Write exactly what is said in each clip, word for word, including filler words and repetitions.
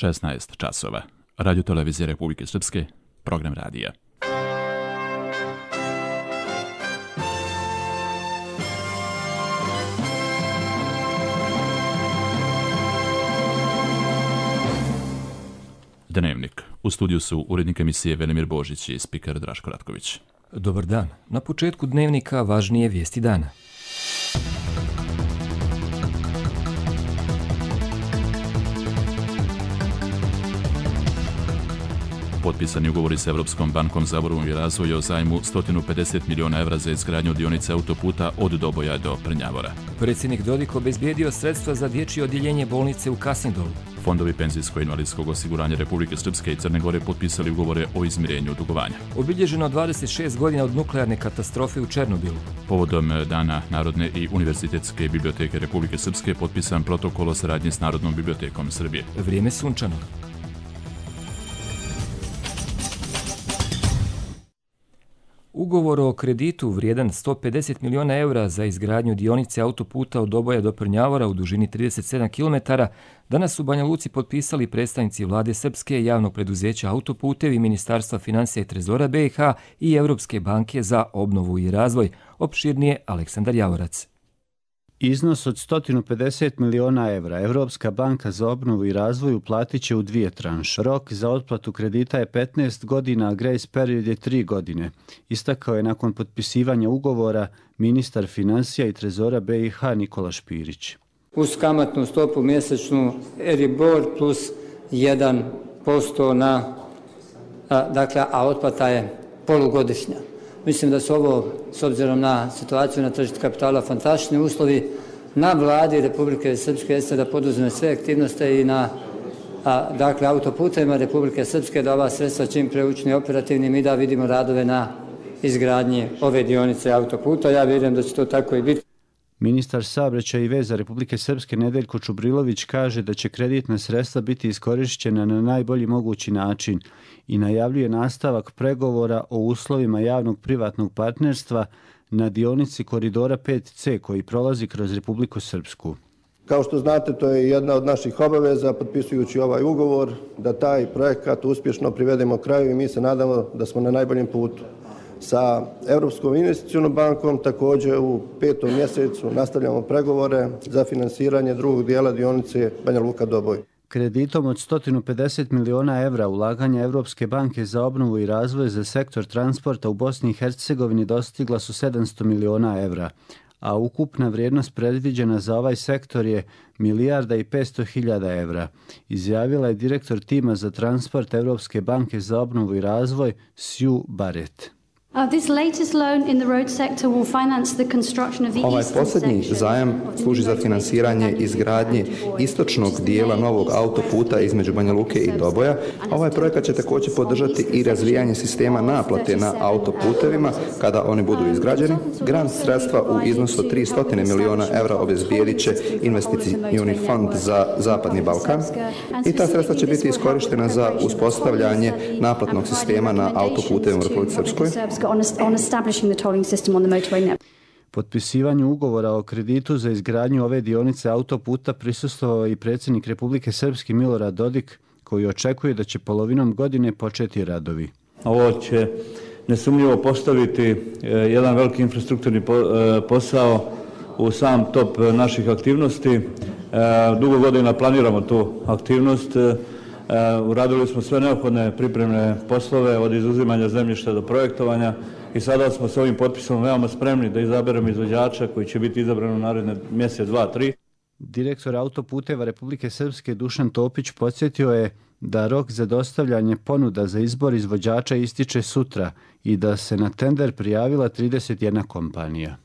šesnaest časova. Radio televizije Republike Srpske, program radija. Dnevnik. U studiju su urednik emisije Velimir Božić i spiker Draško Ratković. Dobar dan. Na početku dnevnika važnije vijesti dana. Potpisani ugovori s Evropskom bankom za obnovu i razvoj o zajmu sto pedeset miliona evra za izgradnju dionice autoputa od Doboja do Prnjavora. Predsjednik Dodik obezbijedio sredstva za dječje odjeljenje bolnice u Kasindolu. Fondovi penzijsko-invalidskog osiguranja Republike Srpske i Crne Gore potpisali ugovore o izmirenju dugovanja. Obilježeno dvadeset šest godina od nuklearne katastrofe u Černobilu. Povodom Dana Narodne i univerzitetske biblioteke Republike Srpske potpisan protokol o saradnji s Narodnom bibliotekom Srbije. Vrijeme sunčano. Ugovor o kreditu vrijedan sto pedeset miliona eura za izgradnju dionice autoputa od Doboja do Prnjavora u dužini trideset sedam kilometara danas su u Banja Luci potpisali predstavnici vlade Srpske, javnog preduzeća Autoputevi, Ministarstva financija i trezora B i H i Europske banke za obnovu i razvoj. Opširnije Aleksandar Javorac. Iznos od sto pedeset miliona evra Europska banka za obnovu i razvoj uplatit će u dvije tranše. Rok za otplatu kredita je petnaest godina, a grace period je tri godine. Istakao je nakon potpisivanja ugovora ministar financija i trezora B i H Nikola Špirić. Uz kamatnu stopu mjesečnu Euribor plus jedan posto na, a, dakle, a otplata je polugodišnja. Mislim da su ovo, s obzirom na situaciju na tržištu kapitala, fantastični uslovi. Na vladi Republike Srpske jeste da poduzme sve aktivnosti i na a, dakle, autoputevima Republike Srpske da ova sredstva čim pre učini operativnim i da vidimo radove na izgradnji ove dionice autoputa. Ja vjerujem da će to tako i biti. Ministar saobraćaja i veza Republike Srpske Nedeljko Čubrilović kaže da će kreditna sredstva biti iskorišćena na najbolji mogući način i najavljuje nastavak pregovora o uslovima javnog privatnog partnerstva na dionici koridora pet C koji prolazi kroz Republiku Srpsku. Kao što znate, to je jedna od naših obaveza, potpisujući ovaj ugovor, da taj projekat uspješno privedemo kraju i mi se nadamo da smo na najboljem putu. Sa Europskom investicionom bankom također u petom mjesecu nastavljamo pregovore za finansiranje drugog dijela dionice Banja Luka-Doboj. Kreditom od sto pedeset miliona evra ulaganja Europske banke za obnovu i razvoj za sektor transporta u Bosni i Hercegovini dostigla su sedamsto miliona evra, a ukupna vrijednost predviđena za ovaj sektor je milijarda i petsto hiljada evra, izjavila je direktor tima za transport Europske banke za obnovu i razvoj Sue Barrett. Ovaj posljednji zajam služi za finansiranje izgradnje istočnog dijela novog autoputa između Banja Luke i Doboja. Ovaj projekat će također podržati i razvijanje sistema naplate na autoputevima kada oni budu izgrađeni. Grant sredstva u iznosu od tristo miliona evra obezbijedit će investicioni fond za Zapadni Balkan i ta sredstva će biti iskorištena za uspostavljanje naplatnog sistema na autoputevima u Republici Srpskoj. Potpisivanju ugovora o kreditu za izgradnju ove dionice autoputa prisustvovao i predsjednik Republike Srpske Milorad Dodik, koji očekuje da će polovinom godine početi radovi. Ovo će nesumnjivo postaviti jedan veliki infrastrukturni posao u sam top naših aktivnosti. Dugo godina planiramo tu aktivnost. Uradili smo sve neophodne pripremne poslove od izuzimanja zemljišta do projektovanja i sada smo s ovim potpisom veoma spremni da izaberemo izvođača koji će biti izabran u naredne mjesec, dva, tri. Direktor Autoputeva Republike Srpske Dušan Topić podsjetio je da rok za dostavljanje ponuda za izbor izvođača ističe sutra i da se na tender prijavila trideset jedna kompanija.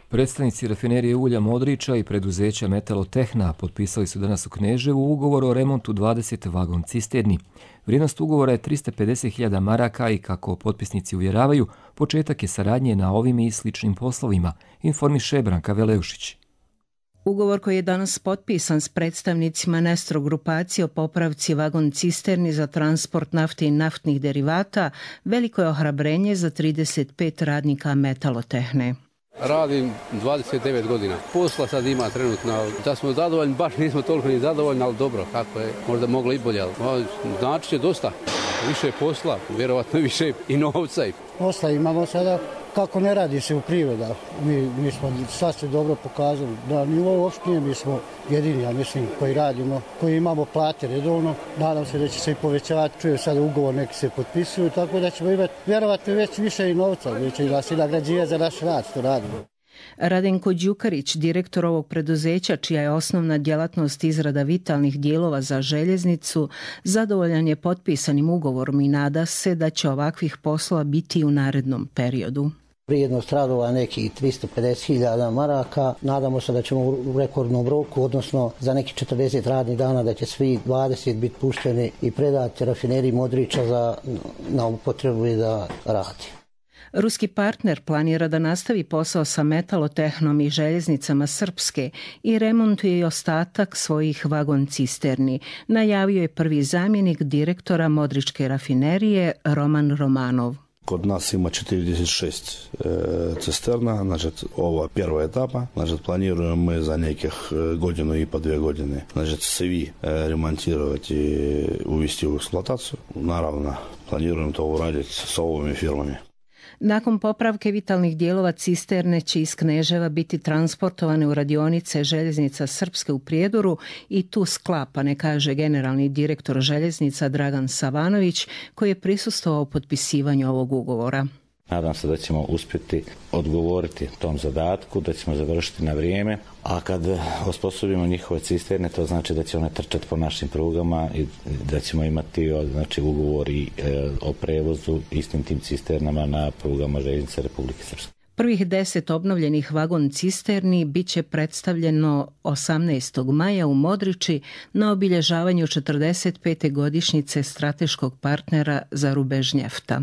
Predstavnici rafinerije ulja Modriča i preduzeća Metalotehna potpisali su danas u Kneževu ugovor o remontu dvadeset vagon cisterni. Vrijednost ugovora je tristo pedeset hiljada maraka i kako potpisnici uvjeravaju, početak je saradnje na ovim i sličnim poslovima, informiše Branka Veleušić. Ugovor koji je danas potpisan s predstavnicima Nestro grupacije o popravci vagon cisterni za transport nafte i naftnih derivata veliko je ohrabrenje za trideset pet radnika Metalotehne. Radim dvadeset devet godina. Posla sad ima trenutno. Da smo zadovoljni, baš nismo toliko ni zadovoljni, ali dobro, kako je. Možda moglo i bolje, ali znači će dosta. Više posla, vjerovatno više i novca. Posla imamo sada, kako ne radi se u privreda. Mi, mi smo sasvim dobro pokazali. Na nivou opštine mi smo jedini, ja mislim, koji radimo, koji imamo plate redovno. Nadam se da će se i povećavati. Čujem sada ugovor, neki se potpisuju, tako da ćemo imati vjerovatno već više i novca. Da će nas i nagrađivati za naš rad što radimo. Radenko Đukarić, direktor ovog preduzeća, čija je osnovna djelatnost izrada vitalnih dijelova za željeznicu, zadovoljan je potpisanim ugovorom i nada se da će ovakvih poslova biti u narednom periodu. Vrijednost radova nekih tristo pedeset hiljada maraka. Nadamo se da ćemo u rekordnom roku, odnosno za nekih četrdeset radnih dana, da će svi dvadeset biti pušteni i predati rafineriji Modriča za, na upotrebu i da radi. Ruski partner planira da nastavi posao sa metalotehnom i željeznicama Srpske i remontuje i ostatak svojih vagon cisterni, najavio je prvi zamjenik direktora Modričke rafinerije Roman Romanov. Kod nas ima četrdeset šest e, cisterna, znači ova prva etapa, znači planiramo za nekih godinu i pa dvije godine, znači svi e, remontirati i uvesti u eksploataciju. Naravno, planiramo to uraditi sa ovими firmami. Nakon popravke vitalnih dijelova cisterne će iz Kneževa biti transportovane u radionice željeznica Srpske u Prijedoru i tu sklapane, kaže generalni direktor željeznica Dragan Savanović, koji je prisustvovao potpisivanju ovog ugovora. Nadam se da ćemo uspjeti odgovoriti tom zadatku, da ćemo završiti na vrijeme, a kad osposobimo njihove cisterne, to znači da će one trčati po našim prugama i da ćemo imati znači, ugovori e, o prevozu istim tim cisternama na prugama željeznice Republike Srpske. Prvih deset obnovljenih vagon cisterni bit će predstavljeno osamnaestog maja u Modriči na obilježavanju četrdeset pete godišnjice strateškog partnera za rubež njefta.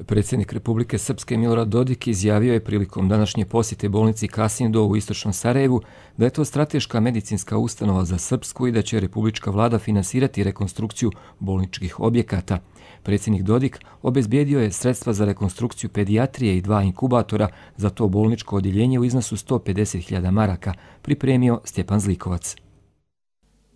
Predsjednik Republike Srpske Milorad Dodik izjavio je prilikom današnje posjete bolnici Kasindo u istočnom Sarajevu da je to strateška medicinska ustanova za Srpsku i da će republička vlada finansirati rekonstrukciju bolničkih objekata. Predsjednik Dodik obezbijedio je sredstva za rekonstrukciju pedijatrije i dva inkubatora za to bolničko odjeljenje u iznosu sto pedeset hiljada maraka, pripremio Stjepan Zlikovac.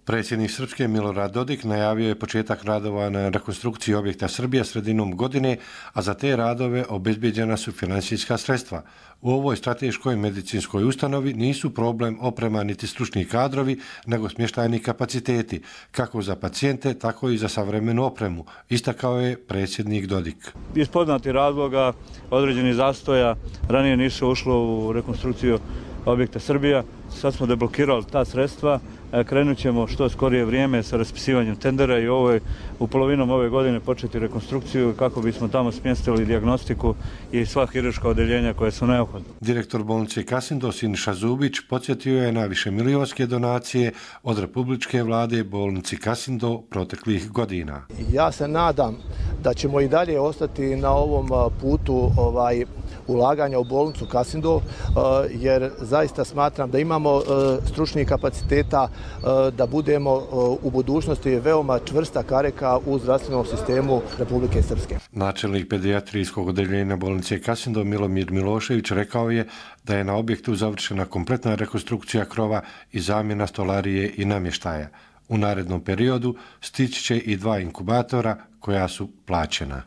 Predsjednik Srpske Milorad Dodik najavio je početak radova na rekonstrukciji objekta Srbija sredinom godine, a za te radove obezbijeđena su financijska sredstva. U ovoj strateškoj medicinskoj ustanovi nisu problem oprema niti stručni kadrovi, nego smještajni kapaciteti, kako za pacijente, tako i za savremenu opremu, istakao je predsjednik Dodik. Iz poznatih razloga, određenih zastoja, ranije nisu ušlo u rekonstrukciju objekta Srbija, sad smo deblokirali ta sredstva. Krenut ćemo što skorije vrijeme sa raspisivanjem tendera i ovoj, u polovinom ove godine početi rekonstrukciju kako bismo tamo smjestili dijagnostiku i sva hirurška odeljenja koje su neophodne. Direktor bolnice Kasindo Siniša Zubić podsjetio je na višemilijonske donacije od republičke vlade bolnici Kasindo proteklih godina. Ja se nadam da ćemo i dalje ostati na ovom putu ovaj, ulaganja u bolnicu Kasindo, jer zaista smatram da imamo stručnih kapaciteta da budemo u budućnosti veoma čvrsta karika u zdravstvenom sistemu Republike Srpske. Načelnik pedijatrijskog odeljenja bolnice Kasindo Milomir Milošević rekao je da je na objektu završena kompletna rekonstrukcija krova i zamjena stolarije i namještaja. U narednom periodu stići će i dva inkubatora koja su plaćena.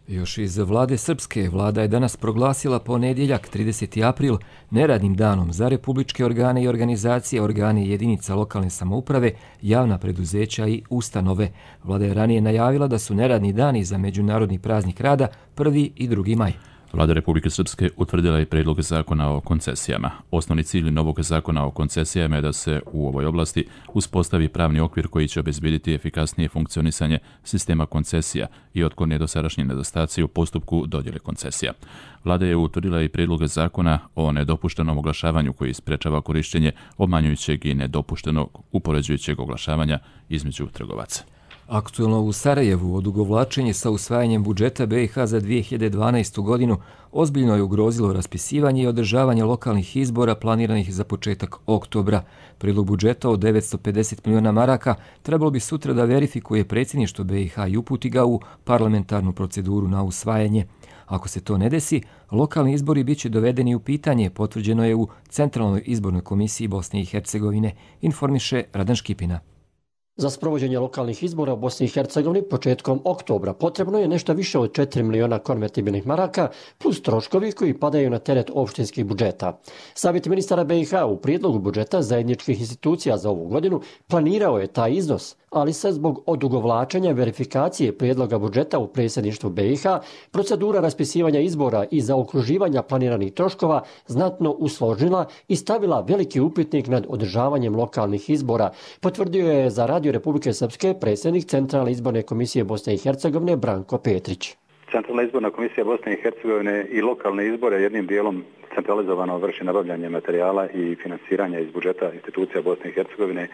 Još iz vlade Srpske, vlada je danas proglasila ponedjeljak trideseti april neradnim danom za republičke organe i organizacije, organe jedinica lokalne samouprave, javna preduzeća i ustanove. Vlada je ranije najavila da su neradni dani za međunarodni praznik rada prvi i drugi maj. Vlada Republike Srpske utvrdila je prijedlog zakona o koncesijama. Osnovni cilj novog zakona o koncesijama je da se u ovoj oblasti uspostavi pravni okvir koji će obezbjediti efikasnije funkcionisanje sistema koncesija i otkloni dosadašnji nedostaci u postupku dodjele koncesija. Vlada je utvrdila i prijedlog zakona o nedopuštenom oglašavanju koji sprečava korištenje obmanjujućeg i nedopuštenog upoređujućeg oglašavanja između trgovaca. Aktuelno u Sarajevu odugovlačenje sa usvajanjem budžeta B i H za dvije hiljade dvanaestu. godinu ozbiljno je ugrozilo raspisivanje i održavanje lokalnih izbora planiranih za početak oktobra. Prijedlog budžeta od devetsto pedeset milijuna maraka trebalo bi sutra da verifikuje predsjedništvo B i H i uputi ga u parlamentarnu proceduru na usvajanje. Ako se to ne desi, lokalni izbori bit će dovedeni u pitanje, potvrđeno je u Centralnoj izbornoj komisiji Bosne i Hercegovine, informiše Radan Škipina. Za sprovođenje lokalnih izbora u Bosni i Hercegovini početkom oktobra potrebno je nešto više od četiri miliona konvertibilnih maraka plus troškovi koji padaju na teret opštinskih budžeta. Savjet ministara B i H u prijedlogu budžeta zajedničkih institucija za ovu godinu planirao je taj iznos, ali se zbog odugovlačenja verifikacije prijedloga budžeta u predsjedništvu B i H procedura raspisivanja izbora i zaokruživanja planiranih troškova znatno usložnila i stavila veliki upitnik nad održavanjem lokalnih izbora, potvrdio je za Radio Republike Srpske predsjednik Centralne izborne komisije Bosne i Hercegovine Branko Petrić. Centralna izborna komisija Bosne i Hercegovine i lokalne izbore jednim dijelom centralizovano vrši nabavljanje materijala i finansiranja iz budžeta institucija Bosne i Hercegovine.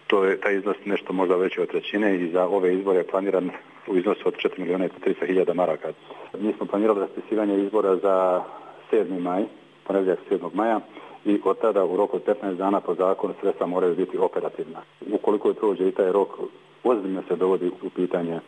To je taj iznos nešto možda veći od trećine i za ove izbore je planiran u iznosu od četiri milijuna tristo hiljada maraka. Mi smo planirali raspisivanje izbora za sedmi maj, ponedjeljak sedmog maja, i od tada u roku od petnaest dana po zakonu sredstva moraju biti operativna. Ukoliko je prođe i taj rok, ozbiljno se dovodi u pitanje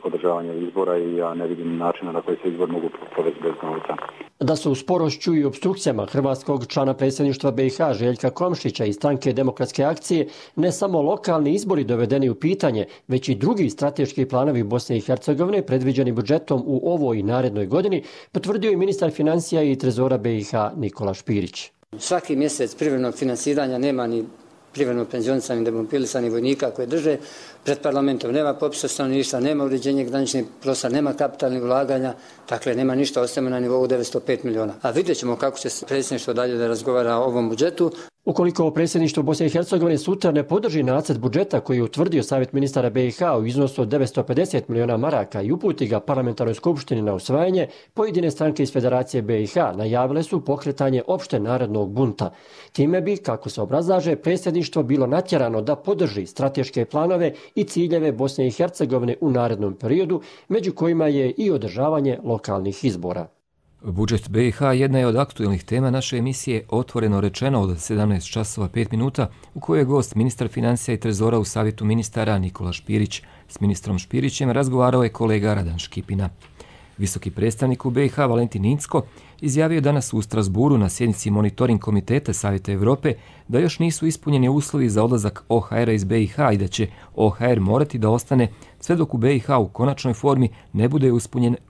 održavanja izbora i ja ne vidim načina na koji se izbor mogu provesti bez novca. Da su u sporošću i obstrukcijama hrvatskog člana predsjedništva B i H Željka Komšića i stranke Demokratske akcije ne samo lokalni izbori dovedeni u pitanje, već i drugi strateški planovi Bosne i Hercegovine predviđeni budžetom u ovoj i narednoj godini, potvrdio je ministar financija i trezora B i H Nikola Špirić. Svaki mjesec privremenog finansiranja nema ni privremeno penzionisanih demobilisanih vojnika koje drže pred parlamentom, nema popisa stanovništva, nema uređenja graničnih prostora, nema kapitalnih ulaganja, dakle nema ništa, ostajemo na nivou devetsto pet miliona. A vidjet ćemo kako će predsjedništvo dalje da razgovara o ovom budžetu. Ukoliko predsjedništvo Bosne i Hercegovine sutra ne podrži nacrt budžeta koji je utvrdio Savjet ministara B i H u iznosu od devetsto pedeset miliona maraka i uputi ga parlamentarnoj skupštini na usvajanje, pojedine stranke iz Federacije B i H najavile su pokretanje opšte narodnog bunta. Time bi, kako se obrazlaže, predsjedništvo bilo natjerano da podrži strateške planove i ciljeve Bosne i Hercegovine u narednom periodu, među kojima je i održavanje lokalnih izbora. Budžet B i H jedna je od aktuelnih tema naše emisije Otvoreno rečeno od sedamnaest časova pet minuta, u kojoj je gost ministar financija i trezora u Savjetu ministara Nikola Špirić. S ministrom Špirićem razgovarao je kolega Radan Škipina. Visoki predstavnik u B i H Valentin Incko izjavio je danas u Strasburu na sjednici monitoring komiteta Savjeta Europe da još nisu ispunjeni uslovi za odlazak O H R-a iz B i H i da će O H R morati da ostane sve dok u B i H u konačnoj formi ne bude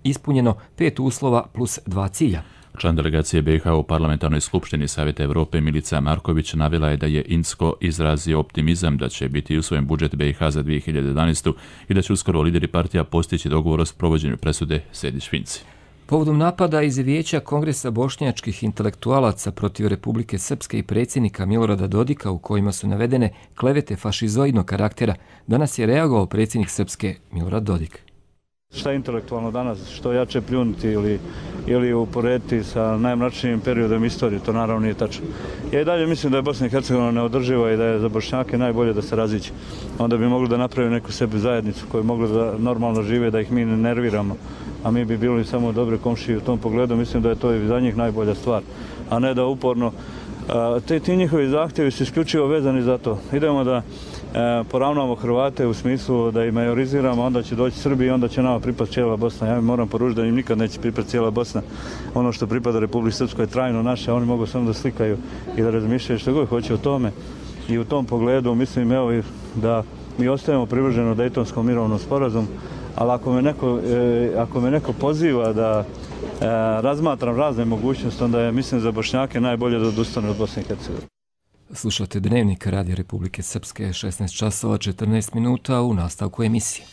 ispunjeno pet uslova plus dva cilja. Član delegacije B i H u parlamentarnoj skupštini Savjeta Europe Milica Marković navela je da je Incko izrazio optimizam da će biti usvojen budžet B i H za dvije hiljade jedanaestu. i da će uskoro lideri partija postići dogovor o sprovođenju presude Sejdić-Finci. Povodom napada iz Vijeća Kongresa bošnjačkih intelektualaca protiv Republike Srpske i predsjednika Milorada Dodika u kojima su navedene klevete fašizoidnog karaktera, danas je reagovao predsjednik Srpske Milorad Dodik. Šta je intelektualno danas, što jače pljunuti ili, ili uporediti sa najmračnijim periodom istorije, to naravno nije tačno. Ja i dalje mislim da je Bosna i Hercegovina neodrživa i da je za Bošnjake najbolje da se raziđe. Onda bi mogli da napravi neku sebi zajednicu koju mogli da normalno žive, da ih mi ne nerviramo, a mi bi bili samo dobre komšije u tom pogledu. Mislim da je to i za njih najbolja stvar, a ne da uporno. Te, ti njihovi zahtjevi su isključivo vezani za to. Idemo da e, poravnamo Hrvate u smislu da ih majoriziramo, onda će doći Srbi i onda će nama pripasti cijela Bosna. Ja mi moram poručiti da im nikad neće pripasti cijela Bosna. Ono što pripada Republici Srpskoj je trajno naše, oni mogu samo da slikaju i da razmišljaju što god hoće o tome. I u tom pogledu mislim evo, da mi ostajemo privrženi Dejtonskom mirovnom sporazumu, ali ako me neko, e, ako me neko poziva da E, razmatram razne mogućnosti, onda je, mislim, za Bošnjake najbolje da odustane od Bosne i Hercegovine. Slušate Dnevnik Radija Republike Srpske, šesnaest časova četrnaest minuta u nastavku emisije.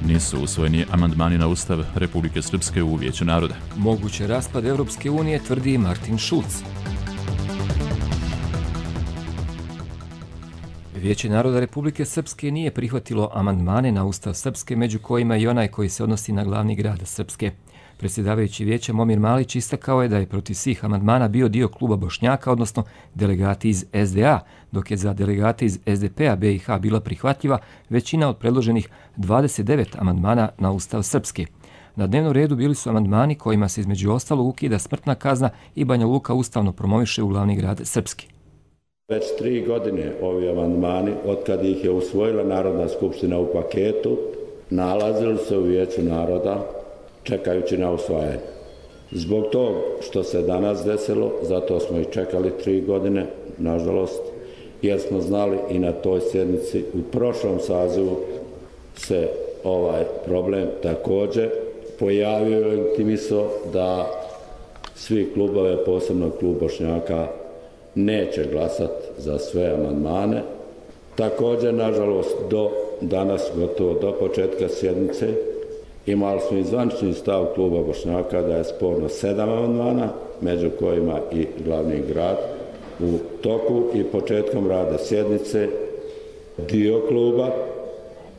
Nisu usvojeni amandmani na Ustav Republike Srpske u Vijeću naroda. Moguće raspad Europske unije, tvrdi Martin Schulz. Vijeće naroda Republike Srpske nije prihvatilo amandmane na Ustav Srpske, među kojima i onaj koji se odnosi na glavni grad Srpske. Predsjedavajući vijeća Momir Malić istakao je da je protiv svih amandmana bio dio kluba Bošnjaka, odnosno delegati iz S D A, dok je za delegate iz S D P-a B i H bila prihvatljiva većina od predloženih dvadeset devet amandmana na Ustav Srpske. Na dnevnom redu bili su amandmani kojima se između ostalog ukida smrtna kazna i Banja Luka ustavno promoviše u glavni grad Srpski. Već tri godine ovi amandmani, od kad ih je usvojila Narodna skupština u paketu, nalazili se u Vijeću naroda čekajući na usvajanje. Zbog tog što se danas desilo, zato smo i čekali tri godine, nažalost, jer smo znali i na toj sjednici u prošlom sazivu se ovaj problem također pojavio i intimisao da svi klubove, posebno klub Bošnjaka, neće glasati za sve amandmane. Također, nažalost, do danas, gotovo do početka sjednice, imali smo i zvanični stav kluba Bošnjaka da je sporno sedam amandmana, među kojima i glavni grad. U toku i početkom rada sjednice dio kluba,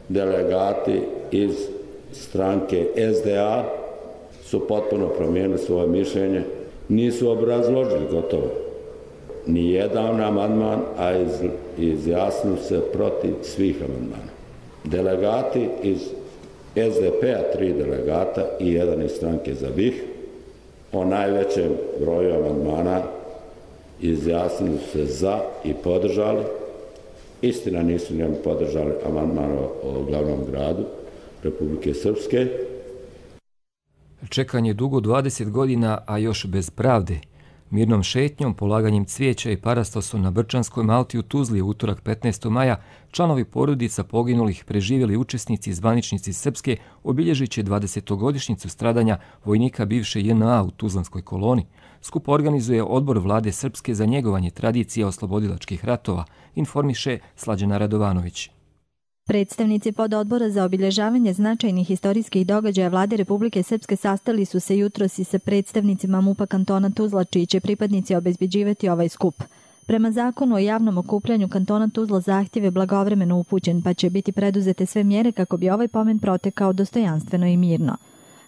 delegati iz stranke S D A su potpuno promijenili svoje mišljenje, nisu obrazložili gotovo ni jedan amandman, a iz, izjasnili se protiv svih amandmana. Delegati iz S D P-a, tri delegata i jedan iz stranke za B I H, o najvećem broju amandmana izjasnili se za i podržali. Istina, nisu njemu podržali amandman o glavnom gradu Republike Srpske. Čekanje dugo dvadeset godina, a još bez pravde. Mirnom šetnjom, polaganjem cvijeća i parastosom na Brčanskoj Malti u Tuzli u utorak petnaestog maja članovi porodica poginulih preživjeli učesnici i zvaničnici Srpske obilježit će dvadesetogodišnjicu stradanja vojnika bivše J N A u Tuzlanskoj koloni. Skup organizuje Odbor Vlade Srpske za njegovanje tradicije oslobodilačkih ratova, informiše Slađana Radovanović. Predstavnici pododbora za obilježavanje značajnih historijskih događaja Vlade Republike Srpske sastali su se jutros i sa predstavnicima MUP-a kantona Tuzla, čiji će pripadnici obezbeđivati ovaj skup. Prema zakonu o javnom okupljanju kantona Tuzla zahtjev je blagovremeno upućen, pa će biti preduzete sve mjere kako bi ovaj pomen protekao dostojanstveno i mirno.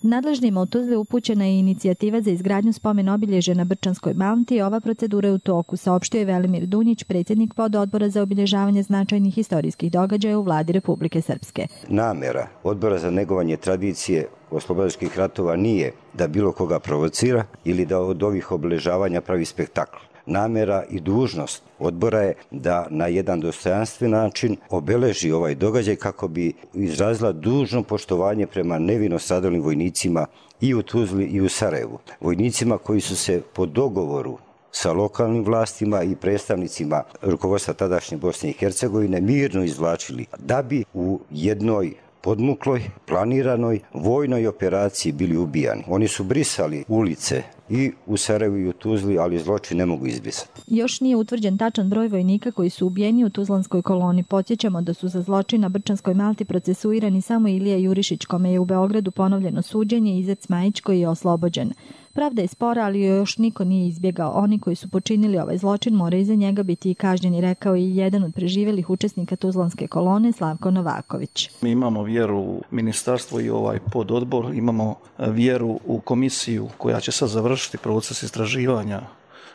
Nadležnima u Tuzli upućena je inicijativa za izgradnju spomen obilježja na Brčanskoj Malti i ova procedura je u toku, saopštio je Velimir Dunjić, predsjednik pododbora za obilježavanje značajnih historijskih događaja u Vladi Republike Srpske. Namjera Odbora za negovanje tradicije oslobodilačkih ratova nije da bilo koga provocira ili da od ovih obilježavanja pravi spektakl. Namjera i dužnost odbora je da na jedan dostojanstven način obeleži ovaj događaj kako bi izrazila dužno poštovanje prema nevino stradalim vojnicima i u Tuzli i u Sarajevu. Vojnicima koji su se po dogovoru sa lokalnim vlastima i predstavnicima rukovodstva tadašnje Bosne i Hercegovine mirno izvlačili da bi u jednoj podmukloj, planiranoj vojnoj operaciji bili ubijani. Oni su brisali ulice i u Sarajevu i u Tuzli, ali zločin ne mogu izbrisati. Još nije utvrđen tačan broj vojnika koji su ubijeni u Tuzlanskoj koloni. Podsjećamo da su za zločin na Brčanskoj Malti procesuirani samo Ilija Jurišić, kome je u Beogradu ponovljeno suđenje, i Izec Majić, koji je oslobođen. Pravda je spora, ali još niko nije izbjegao. Oni koji su počinili ovaj zločin moraju za njega biti i kažnjeni, rekao i jedan od preživjelih učesnika Tuzlanske kolone, Slavko Novaković. Mi imamo vjeru u ministarstvo i ovaj pododbor, imamo vjeru u komisiju koja će sad završiti proces istraživanja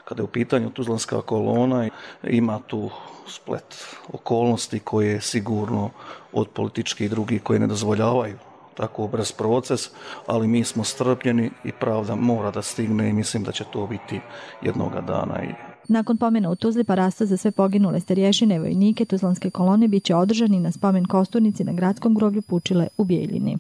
kada je u pitanju Tuzlanska kolona. Ima tu splet okolnosti koje sigurno od političkih i drugih koje ne dozvoljavaju tako brz proces, ali mi smo strpljeni i pravda mora da stigne i mislim da će to biti jednoga dana. Nakon pomena u Tuzli parasto za sve poginule starješine vojnike Tuzlanske kolone bit će održani na spomen kosturnici na gradskom groblju Pučile u Bijeljini.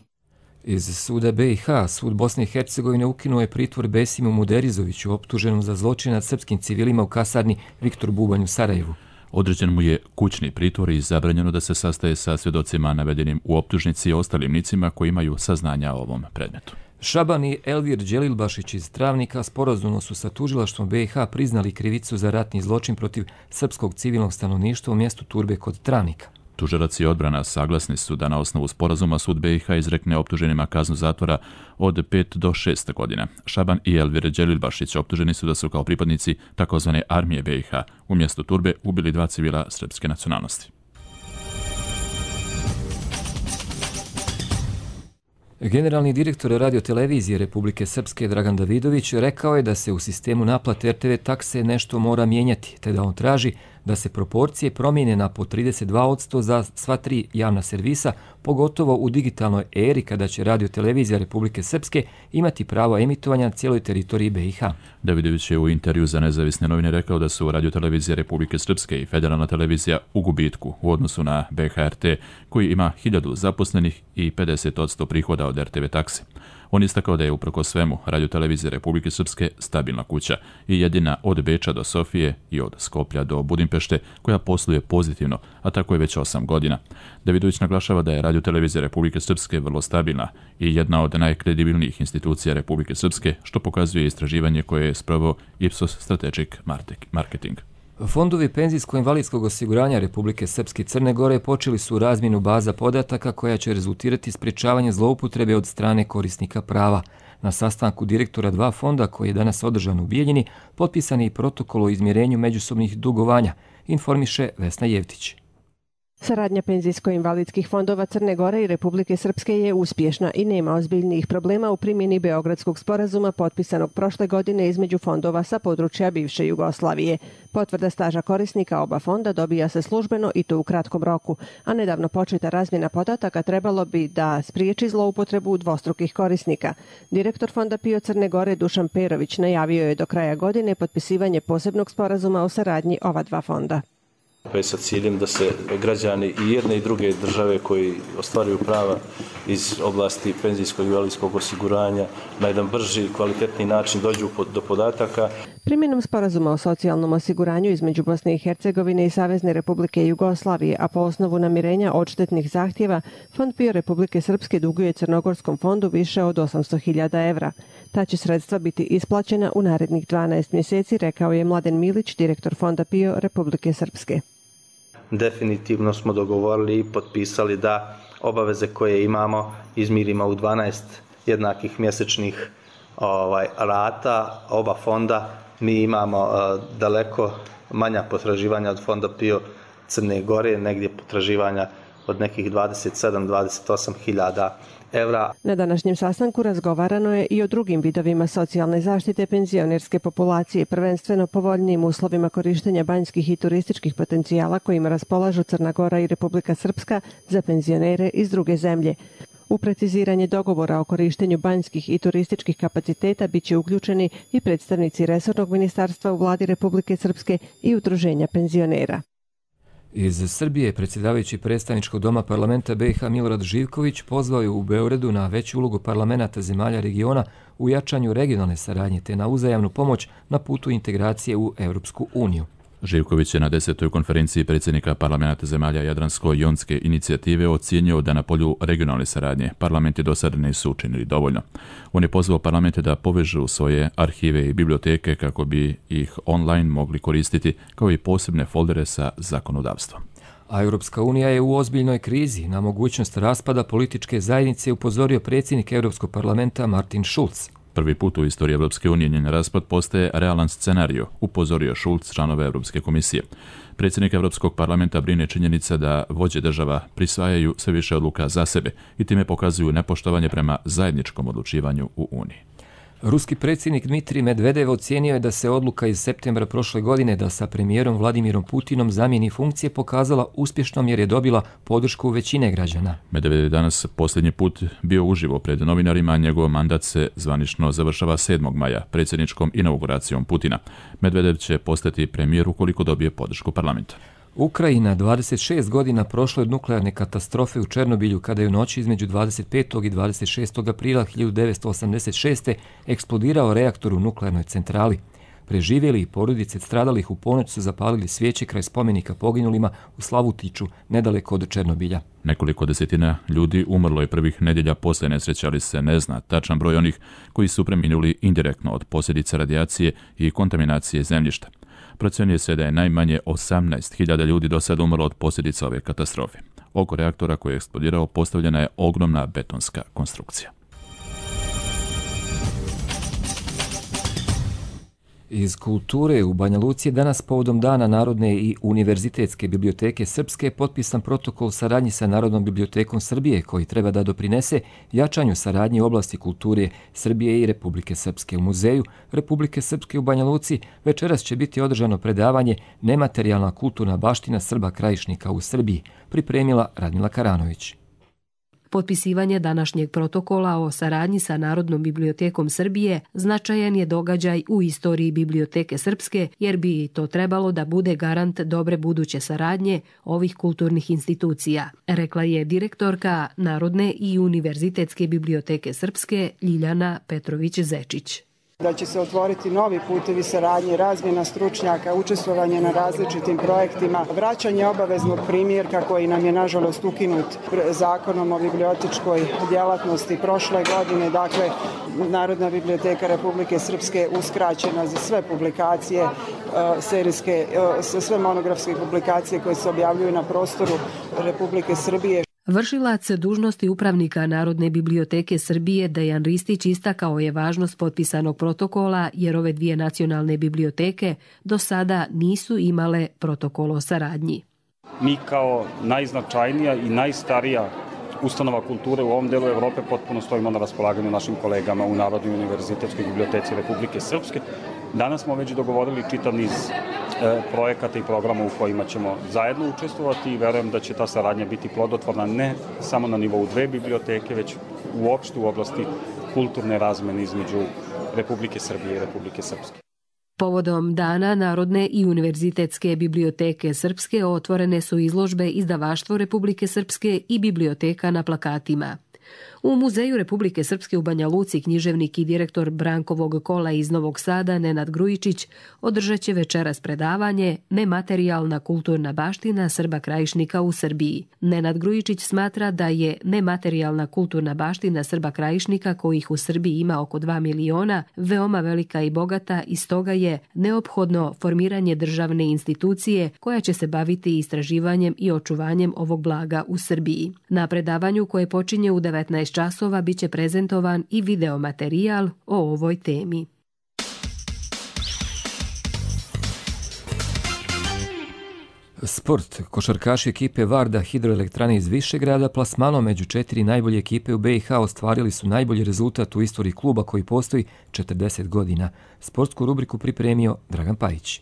Iz suda B i H, sud Bosne i Hercegovine ukinuo je pritvor Besimu Muderizoviću, optuženom za zločin nad srpskim civilima u kasarni Viktor Bubanj u Sarajevu. Određen mu je kućni pritvor i zabranjeno da se sastaje sa svjedocima navedenim u optužnici i ostalim licima koji imaju saznanja o ovom predmetu. Šaban i Elvir Đelilbašić iz Travnika sporazumno su sa tužilaštvom B i H priznali krivicu za ratni zločin protiv srpskog civilnog stanovništva u mjestu Turbe kod Travnika. Tužilac i odbrana saglasni su da na osnovu sporazuma sud B i H izrekne optuženima kaznu zatvora od pet do šest godina. Šaban i Elvir Đelilbašić optuženi su da su kao pripadnici takozvane armije B i H u mjestu Turbe ubili dva civila srpske nacionalnosti. Generalni direktor radiotelevizije Republike Srpske Dragan Davidović rekao je da se u sistemu naplate R T V takse nešto mora mijenjati, te da on traži da se proporcije promijene na po trideset dva posto za sva tri javna servisa, pogotovo u digitalnoj eri kada će radiotelevizija Republike Srpske imati pravo emitovanja na cijeloj teritoriji B i H. Davidović je u intervju za nezavisne novine rekao da su radiotelevizija Republike Srpske i federalna televizija u gubitku u odnosu na B H R T, koji ima hiljadu zaposlenih i pedeset posto prihoda od R T V takse. On istakao da je uprkos svemu radiotelevizija Republike Srpske stabilna kuća i jedina od Beča do Sofije i od Skoplja do Budimpešte koja posluje pozitivno, a tako je već osam godina. Davidović naglašava da je radiotelevizija Republike Srpske vrlo stabilna i jedna od najkredibilnijih institucija Republike Srpske, što pokazuje istraživanje koje je sproveo Ipsos Strategic Marketing. Fondovi penzijsko-invalidskog osiguranja Republike Srpske i Crne Gore počeli su razmjenu baza podataka koja će rezultirati sprječavanje zloupotrebe od strane korisnika prava. Na sastanku direktora dva fonda, koji je danas održan u Bijeljini, potpisan je i protokol o izmjerenju međusobnih dugovanja, informiše Vesna Jevtić. Saradnja penzijsko-invalidskih fondova Crne Gore i Republike Srpske je uspješna i nema ozbiljnijih problema u primjeni Beogradskog sporazuma potpisanog prošle godine između fondova sa područja bivše Jugoslavije. Potvrda staža korisnika oba fonda dobija se službeno i to u kratkom roku, a nedavno početa razmjena podataka trebalo bi da spriječi zloupotrebu dvostrukih korisnika. Direktor fonda PIO Crne Gore Dušan Perović najavio je do kraja godine potpisivanje posebnog sporazuma o saradnji ova dva fonda. Sa ciljem da se građani i jedne i druge države koji ostvaruju prava iz oblasti penzijskog i invalidskog osiguranja na jedan brži i kvalitetni način dođu do podataka. Primjenom sporazuma o socijalnom osiguranju između Bosne i Hercegovine i Savezne Republike Jugoslavije, a po osnovu namirenja odštetnih zahtjeva, Fond PIO Republike Srpske duguje Crnogorskom fondu više od osamsto hiljada evra. Ta će sredstva biti isplaćena u narednih dvanaest mjeseci, rekao je Mladen Milić, direktor Fonda PIO Republike Srpske. Definitivno smo dogovorili i potpisali da obaveze koje imamo izmirimo u dvanaest jednakih mjesečnih ovaj, rata oba fonda. Mi imamo uh, daleko manja potraživanja od Fonda PIO Crne Gore, negdje potraživanja od nekih dvadeset sedam do dvadeset osam hiljada evra. Na današnjem sastanku razgovarano je i o drugim vidovima socijalne zaštite penzionerske populacije, prvenstveno povoljnijim uslovima korištenja banjskih i turističkih potencijala kojima raspolažu Crna Gora i Republika Srpska za penzionere iz druge zemlje. U preciziranje dogovora o korištenju banjskih i turističkih kapaciteta bit će uključeni i predstavnici resornog ministarstva u vladi Republike Srpske i udruženja penzionera. Iz Srbije predsjedavajući predstavničkog doma parlamenta B i H Milorad Živković pozvao je u Beogradu na veću ulogu parlamenta zemalja regiona u jačanju regionalne saradnje te na uzajamnu pomoć na putu integracije u Europsku uniju. Živković je na desetoj konferenciji predsjednika parlamenta zemalja Jadransko-jonske inicijative ocijenio da na polju regionalne saradnje parlamenti do sada nisu učinili dovoljno. On je pozvao parlamente da povežu svoje arhive i biblioteke kako bi ih online mogli koristiti, kao i posebne foldere sa zakonodavstvom. A Europska unija je u ozbiljnoj krizi. Na mogućnost raspada političke zajednice upozorio predsjednik Europskog parlamenta Martin Schulz. Prvi put u istoriji Europske unije njen raspad postaje realan scenario, upozorio Schulz, članove Europske komisije. Predsjednik Europskog parlamenta brine činjenica da vođe država prisvajaju sve više odluka za sebe i time pokazuju nepoštovanje prema zajedničkom odlučivanju u Uniji. Ruski predsjednik Dmitrij Medvedev ocijenio je da se odluka iz septembra prošle godine da sa premijerom Vladimirom Putinom zamijeni funkcije pokazala uspješnom jer je dobila podršku većine građana. Medvedev je danas posljednji put bio uživo pred novinarima, njegov mandat se zvanično završava sedmog maja predsjedničkom inauguracijom Putina. Medvedev će postati premijer ukoliko dobije podršku parlamenta. Ukrajina dvadeset šest godina prošlo od nuklearne katastrofe u Černobilju kada je u noći između dvadeset petog i dvadeset šestog aprila hiljadu devetsto osamdeset šeste. eksplodirao reaktor u nuklearnoj centrali. Preživjeli i porodice stradalih u ponoć su zapalili svijeće kraj spomenika poginulima u Slavutiću, nedaleko od Černobilja. Nekoliko desetina ljudi umrlo je prvih nedjelja poslije nesreće, ali se ne zna tačan broj onih koji su preminuli indirektno od posljedica radijacije i kontaminacije zemljišta. Procjenjuje se da je najmanje osamnaest hiljada ljudi do sada umrlo od posljedica ove katastrofe. Oko reaktora koji je eksplodirao postavljena je ogromna betonska konstrukcija. Iz kulture u Banja Luci je danas povodom Dana Narodne i univerzitetske biblioteke Srpske potpisan protokol saradnji sa Narodnom bibliotekom Srbije koji treba da doprinese jačanju saradnje u oblasti kulture Srbije i Republike Srpske. U Muzeju Republike Srpske u Banja Luci večeras će biti održano predavanje Nematerijalna kulturna baština Srba krajišnika u Srbiji, pripremila Radmila Karanović. Potpisivanje današnjeg protokola o saradnji sa Narodnom bibliotekom Srbije značajan je događaj u istoriji Biblioteke Srpske, jer bi to trebalo da bude garant dobre buduće saradnje ovih kulturnih institucija, rekla je direktorka Narodne i univerzitetske biblioteke Srpske Ljiljana Petrović-Zečić. Da će se otvoriti novi putevi saradnje, razmjena stručnjaka, učestvovanje na različitim projektima, vraćanje obaveznog primjerka koji nam je nažalost ukinut zakonom o bibliotečkoj djelatnosti prošle godine. Dakle, Narodna biblioteka Republike Srpske uskraćena za sve publikacije, serijske, sve monografske publikacije koje se objavljuju na prostoru Republike Srbije. Vršilac dužnosti upravnika Narodne biblioteke Srbije Dejan Ristić istakao je važnost potpisanog protokola jer ove dvije nacionalne biblioteke do sada nisu imale protokol o saradnji. Mi kao najznačajnija i najstarija ustanova kulture u ovom delu Evrope potpuno stojimo na raspolaganju našim kolegama u Narodnoj univerzitetskoj biblioteci Republike Srpske. Danas smo već dogovorili čitav niz e, projekata i programa u kojima ćemo zajedno učestvovati i verujem da će ta saradnja biti plodotvorna ne samo na nivou dve biblioteke, već uopšte u oblasti kulturne razmene između Republike Srbije i Republike Srpske. Povodom Dana Narodne i univerzitetske biblioteke Srpske otvorene su izložbe Izdavaštvo Republike Srpske i biblioteka na plakatima. U Muzeju Republike Srpske u Banja Luci književnik i direktor Brankovog kola iz Novog Sada Nenad Grujičić održat će večeras predavanje Nematerijalna kulturna baština Srba krajišnika u Srbiji. Nenad Grujičić smatra da je nematerijalna kulturna baština Srba krajišnika, kojih u Srbiji ima oko dva miliona, veoma velika i bogata i stoga je neophodno formiranje državne institucije koja će se baviti istraživanjem i očuvanjem ovog blaga u Srbiji. Na predavanju koje počinje u devetnaest časova biće prezentovan i videomaterijal o ovoj temi. Sport. Košarkaši ekipe Varda Hidroelektrane iz Višegrada plasmanom među četiri najbolje ekipe u B i H ostvarili su najbolji rezultat u istoriji kluba koji postoji četrdeset godina. Sportsku rubriku pripremio Dragan Pajić.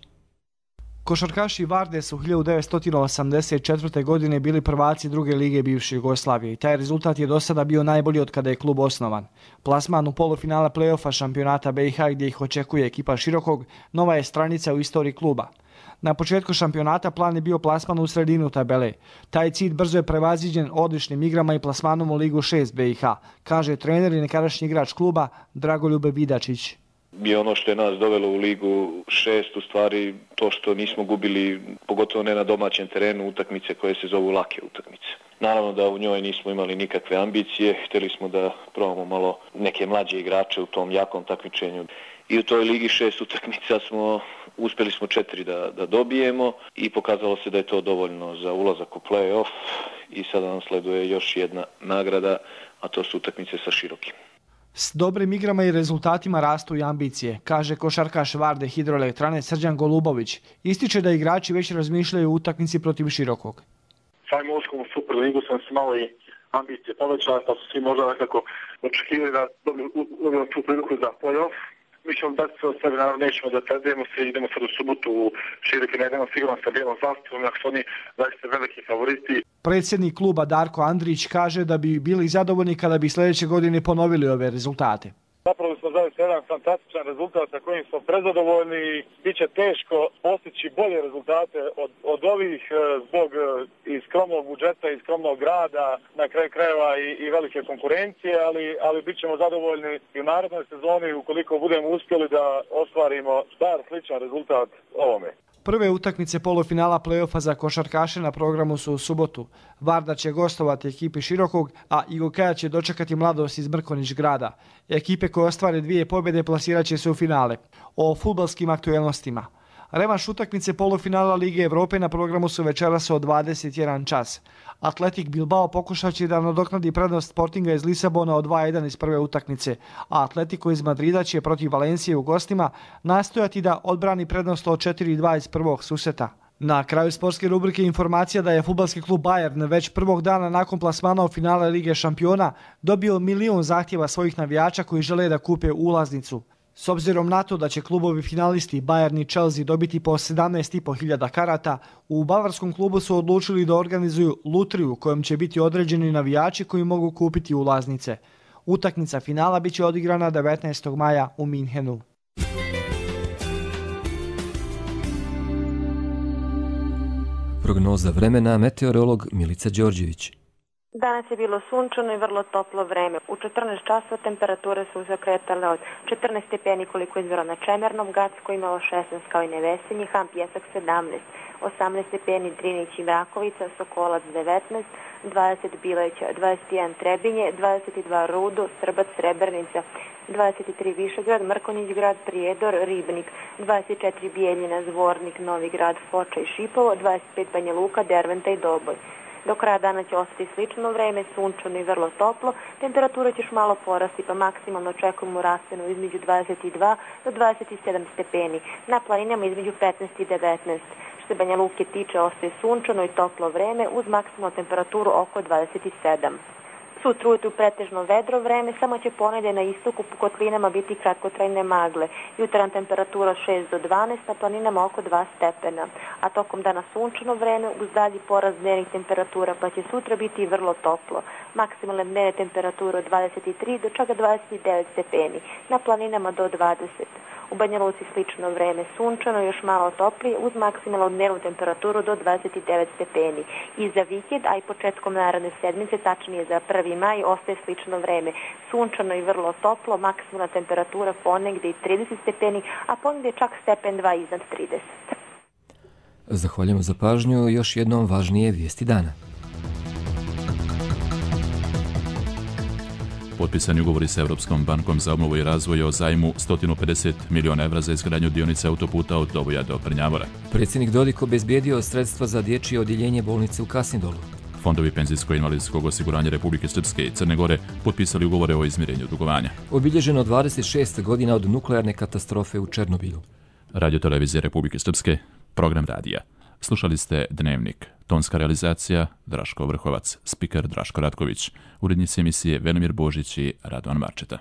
Košarkaši Varde su hiljadu devetsto osamdeset četvrte. godine bili prvaci druge lige bivše Jugoslavije i taj rezultat je do sada bio najbolji od kada je klub osnovan. Plasman u polufinale play-offa šampionata B i H gdje ih očekuje ekipa Širokog nova je stranica u istoriji kluba. Na početku šampionata plan je bio plasman u sredinu tabele. Taj cilj brzo je prevaziđen odličnim igrama i plasmanom u Ligu šest B i H, kaže trener i nekadašnji igrač kluba Dragoljube Vidačić. I ono što je nas dovelo u Ligu šest, u stvari to što nismo gubili, pogotovo ne na domaćem terenu, utakmice koje se zovu lake utakmice. Naravno da u njoj nismo imali nikakve ambicije, htjeli smo da probamo malo neke mlađe igrače u tom jakom takmičenju. I u toj Ligi šest utakmica smo, uspjeli smo četiri da, da dobijemo i pokazalo se da je to dovoljno za ulazak u play-off i sada nam sleduje još jedna nagrada, a to su utakmice sa Širokim. S dobrim igrama i rezultatima rastu i ambicije, kaže košarkaš Varde Hidroelektrane Srđan Golubović. Ističe da igrači već razmišljaju o utakmici protiv Širokog. Samim ulaskom u Superligu sam se malo i ambicije povećala, pa su svi možda nekako očekivali da dobijemo tu priliku za play-off. Mi ćemo dati sve od sebe, naravno nećemo da predajemo se, idemo sad u subotu u Široki, ne idemo sigurno sa bijelom zastavom, ako su oni zaista veliki favoriti. Predsjednik kluba Darko Andrić kaže da bi bili zadovoljni kada bi sljedeće godine ponovili ove rezultate. Zapravo smo zaista jedan fantastičan rezultat sa kojim smo prezadovoljni i bit će teško postići bolje rezultate od, od ovih zbog i skromnog budžeta i skromnog rada, na kraju krajeva i, i velike konkurencije, ali, ali bit ćemo zadovoljni i u narednoj sezoni ukoliko budemo uspjeli da ostvarimo bar sličan rezultat ovome. Prve utakmice polufinala play-offa za košarkaše na programu su u subotu. Varda će gostovati ekipi Širokog, a Igokaja će dočekati Mladost iz Mrkonjić grada. Ekipe koje ostvare dvije pobjede plasirat će se u finale. O fudbalskim aktuelnostima. Revanš utakmice polufinala Lige Evrope na programu su večeras od dvadeset jedan čas. Atletik Bilbao pokušat će da nadoknadi prednost Sportinga iz Lisabona od dva jedan iz prve utakmice, a Atletico iz Madrida će protiv Valencije u gostima nastojati da odbrani prednost od četiri dva iz prvog susreta. Na kraju sportske rubrike informacija da je fudbalski klub Bayern već prvog dana nakon plasmana u finale Lige šampiona dobio milion zahtjeva svojih navijača koji žele da kupe ulaznicu. S obzirom na to da će klubovi finalisti Bayern i Chelsea dobiti po sedamnaest i po hiljada karata, u bavarskom klubu su odlučili da organizuju lutriju kojom će biti određeni navijači koji mogu kupiti ulaznice. Utakmica finala biće odigrana devetnaestog maja u Minhenu. Prognoza vremena, meteorolog Milica Đorđević. Danas je bilo sunčano i vrlo toplo vreme. U četrnaest časova temperature su se kretale od četrnaest stepeni koliko je izvjelo na Čemernom, Gacko imalo šesnaest kao i Nevesinji, Ham Pjesak sedamnaest, osamnaest stepeni Drinić i Mrakovica, Sokolac devetnaest, dvadeset Bileća, dvadeset jedan Trebinje, dvadeset dva Rudo, Srbac, Srebrnica, dvadeset tri Višegrad, Mrkonjić grad, Prijedor, Ribnik, dvadeset četiri Bijeljina, Zvornik, Novi grad, Foča i Šipovo, dvadeset pet Banja Luka, Derventa i Doboj. Do kraja dana će ostati slično vreme, sunčano i vrlo toplo, temperatura će još malo porasti pa maksimalno očekujemo rastenu između dvadeset dva do dvadeset sedam stepeni, na planinama između petnaest i devetnaest. Što se Banja Luke tiče, ostaje sunčano i toplo vreme uz maksimalnu temperaturu oko dvadeset sedam. Sutra ujutru pretežno vedro vreme, samo će ponedje na istoku po kotlinama biti kratkotrajne magle. Jutarnja temperatura šest do dvanaest, na planinama oko dva stepena. A tokom dana sunčano vreme uz dalji porast dnevnih temperatura, pa će sutra biti vrlo toplo. Maksimalne dnevne temperature od dvadeset tri do čak dvadeset devet stepeni, na planinama do dvadeset. U Banja Luci slično vreme, sunčano, još malo toplije, uz maksimalnu dnevnu temperaturu do dvadeset devet stepeni. I za vikend, a i početkom naredne sedmice, tačnije za prvi maj, ostaje slično vreme. Sunčano i vrlo toplo, maksimalna temperatura ponegde i trideset stepeni, a ponegde čak stepen dva iznad trideset. Zahvaljujemo za pažnju, još jednom važnije vijesti dana. Potpisani ugovori sa Europskom bankom za obnovu i razvoj o zajmu sto pedeset miliona evra za izgradnju dionice autoputa od Doboja do Prnjavora. Predsjednik Dodik obezbijedio sredstva za dječje odjeljenje bolnice u Kasindolu. Fondovi penzijsko-invalidskog osiguranja Republike Srpske i Crne Gore potpisali ugovore o izmirenju dugovanja. Obilježeno dvadeset šest godina od nuklearne katastrofe u Černobilu. Radio televizije Republike Srpske, program radija. Slušali ste Dnevnik. Tonska realizacija Draško Vrhovac, spiker Draško Ratković, urednici emisije Velimir Božić i Radovan Marčeta.